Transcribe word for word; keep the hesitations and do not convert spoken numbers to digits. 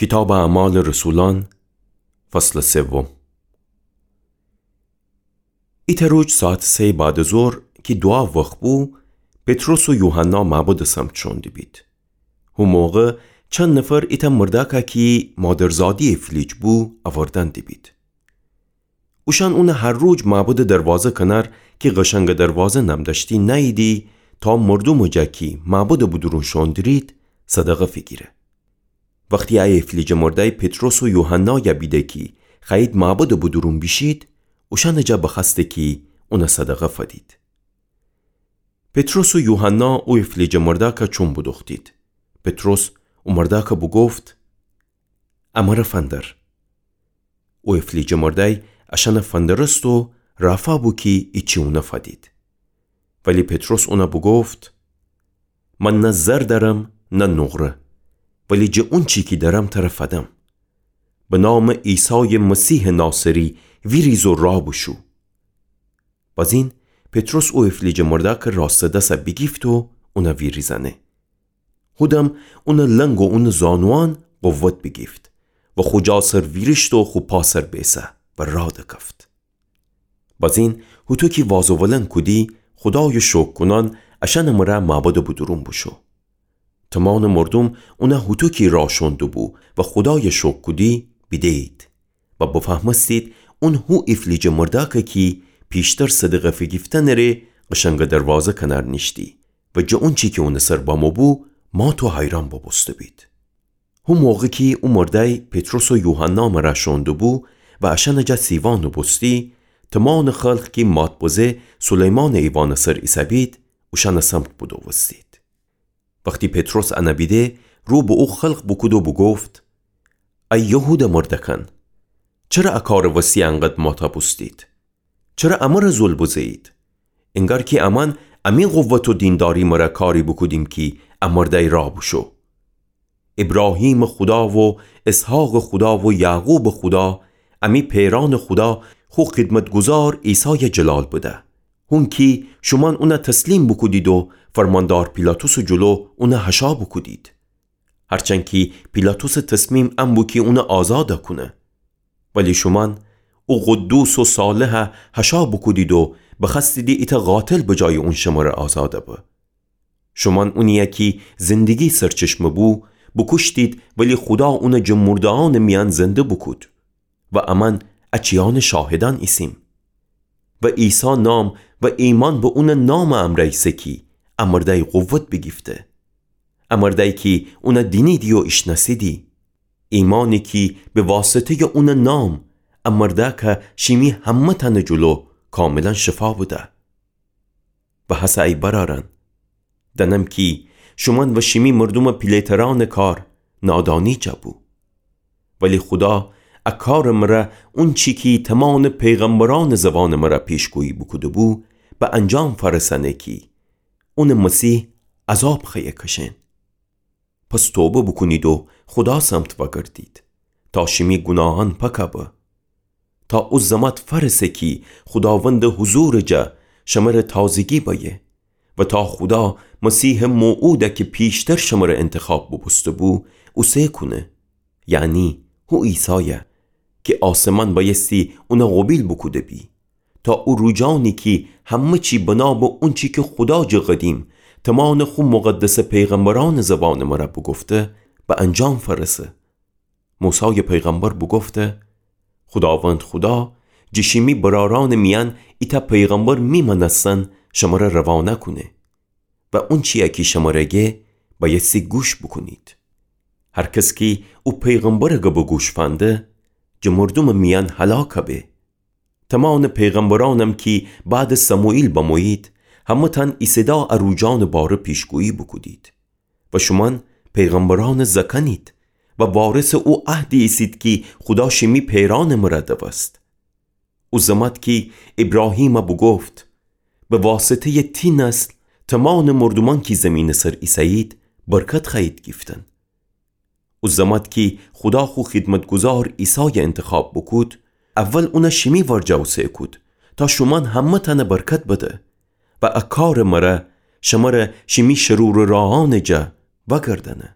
کیتابٚ اعمالٚ رسولأن، فصلٚ سوم. ایتأ روج ساعتٚ سه‌یٚ بعدٚ ظهر کی دوعا وخت بو، پطرس و یوحنا معبدٚ سمت شوئون دیبید. هو موقع چند نفر ایتأ مردأکَ کی مادرزادی ایفلیج بو، اوردأن دیبید. اوشأن اونَ هر روج معبدٚ دروازه کنار کی قشنگٚ دروازه نم دأشتی نأییدی، تا مردومٚ جا کی معبدٚ بودورون شوئون دیرید، صدقه فیگیره. وختی ا ایفلیجٚ مردأی پطرس و یوحنایَ بیده کی خوأیید معبدٚ بودورون بیشید، اوشأنٚ جا بخوأسته کی اونَ صدقه فدید. پطرس و یوحنا او ایفلیجٚ مردأکَ چوم بودوختید. پطرس او مردأکَ بوگفت: امرَ فندر. او ایفلیجٚ مردأی اشأنَ فندرست و رافا بو کی ایچی اونَ فدید. ولی پطرس اونَ بوگفت: من نه زر دأرم نه نقره، ولی جٚه اونچی کی دأرم ترَ فدم. به نامٚ عیسایٚ مسیحٚ ناصری ویریز و راه بوشو. بازین پطرس او ایفلیجٚ مردأکٚ راستٚ دسَ بیگیفت و اونَ ویریزأنه. هودم اونٚ لنگ و اونٚ زانوئان قوت بیگیفت و خو جا سر ویریشت و خو پا سر بیسه و راه دکفت. بازین هوطو کی وازوولن کودی، خودایَ شوکر کونأن اشأنٚ مرأ معبدٚ بودورون بوشو. تومانٚ مردوم اونَ هوطو کی راه شوئون دوبو و خودایَ شوکر کودی بیده‌یید و بفهمستید اون هو ایفلیجٚ مردأکه کی پیشتر صدقه فیگیفتنٚ ره قشنگٚ دروازه کنار نیشتی و جٚه اونچی کی اونٚ سر بمو بو، مات و حیرأن بوبوسته‌بید. هو موقع کی او مردأی پطرس و یوحنا مرأ شوئون دوبو و اشأنٚ جا سیوا نوبوستی، تومانٚ خلق کی مات بزه سلیمانٚ ایوانٚ سر ایسه‌بید، اوشأنٚ سمت بودوستید. وختی پطرس انَ بیده، رو به او خلق بوکود و بوگفت: ای یهودٚ مردأکأن، چره ا کارٚ وستی انقدر ماتَ بوستید؟ چره امرَ ذل بزه‌یید؟ انگار کی امأن امی قوت و دینداری مرأ کاری بوکودیم کی ا مردأی راه بوشو. ایبراهیمٚ خودا و اسحاقٚ خودا و یعقوبٚ خودا، امی پئرأنٚ خودا خو خدمتگذار عیسایَ جلال بده. هون کی شومأن اونَ تسلیم بوکودید و فرماندار پیلاطسٚ جلو اونَ حشا بوکودید. هرچند کی پیلاطسٚ تصمیم ان بو کی اونَ آزادَ کونه. ولی شومأن او قدوس و صالحَ حشا بوکودید و بخوأستیدی ایتأ قاتل به جایٚ اون شمره آزادَ به. شومأن اونی‌یَ کی زندگی سرچشمه بو، بوکوشتید، ولی خودا اونَ جٚه مرده‌یأنٚ میأن زنده بوکود. و امأن ا چیأنٚ شاهدأن ایسیم. و عیسی نام و ایمأن به اونٚ نامٚ امرأ ایسه کی ا مردأی قوت بیگیفته. ا مردأی کی اونَ دینیدی و ایشنأسیدی. ایمأنی کی به واسطه‌یٚ اونٚ نام ا مردأکَ شیمی همه‌تأنٚ جلو کاملاً شفا بده. و هسه ای برأرأن، دأنم کی شومأن و شیمی مردومٚ پیله‌ترأنٚ کار نادانی جا بو. ولی خودا ا کارٚ مرأ اونچی کی تومانٚ پیغمبرأنٚ زوانٚ مرأ پیشگویی بوکوده بو، به انجام فأرسأنه کی اونٚ مسیح عذاب خوأیه کشأن. پس توبه بوکونید و خودا سمت وأگردید، تا شیمی گوناهأن پاکَ به، تا او زمات فأرسه کی خوداوندٚ حضورٚ جا شمره تازگی بأیه و تا خودا مسیحٚ موعودَ کی پیشتر شمره انتخاب بوبوسته‌بو، اوسه کونه، یعنی هو عیسایَ کی آسمان بأیستی اونَ قوبیل بوکوده بی، تا او روجأنی کی همه چی بنا به اونچی کی خودا جٚه قدیم تومانٚ خو مقدسٚ پیغمبرأنٚ زوانٚ مرأ بوگفته، به انجام فأرسه. موسایٚ پیغمبر بوگفته: خوداوند خودا جٚه شیمی برأرأنٚ میأن ایتأ پیغمبر میمأنستن شمره روانه کونه. و اونچی‌یَ کی شمره گه بأیستی گوش بوکونید. هر کس کی او پیغمبرٚ گبٚ گوش فنده، جٚه مردومٚ میأن هلاکَ به. تومانٚ پیغمبرأنم کی بعدٚ سموئیل بمویید، همه‌تأن ایسه‌دا ا روجأنٚ باره پیشگویی بوکودید. و شومأن پیغمبرأنٚ زأکأنید و وارثٚ او عهدی ایسید کی خودا شیمی پئرأنٚ مرأ دوست. او زمات کی ایبراهیمَ بوگفت: به واسطه‌یٚ تی نسل تومانٚ مردومأن کی زیمینٚ سر ایسه‌یید، برکت خوأیید گیفتن. او زمات کی خودا خو خدمتگذار عیسایَ انتخاب بوکود، اول اونَ شیمی ورجه اوسه کود، تا شومأن همه‌تأنَ برکت بده و ا کارٚ مرأ شمره شیمی شرورٚ راهأنٚ جا وأگردأنه.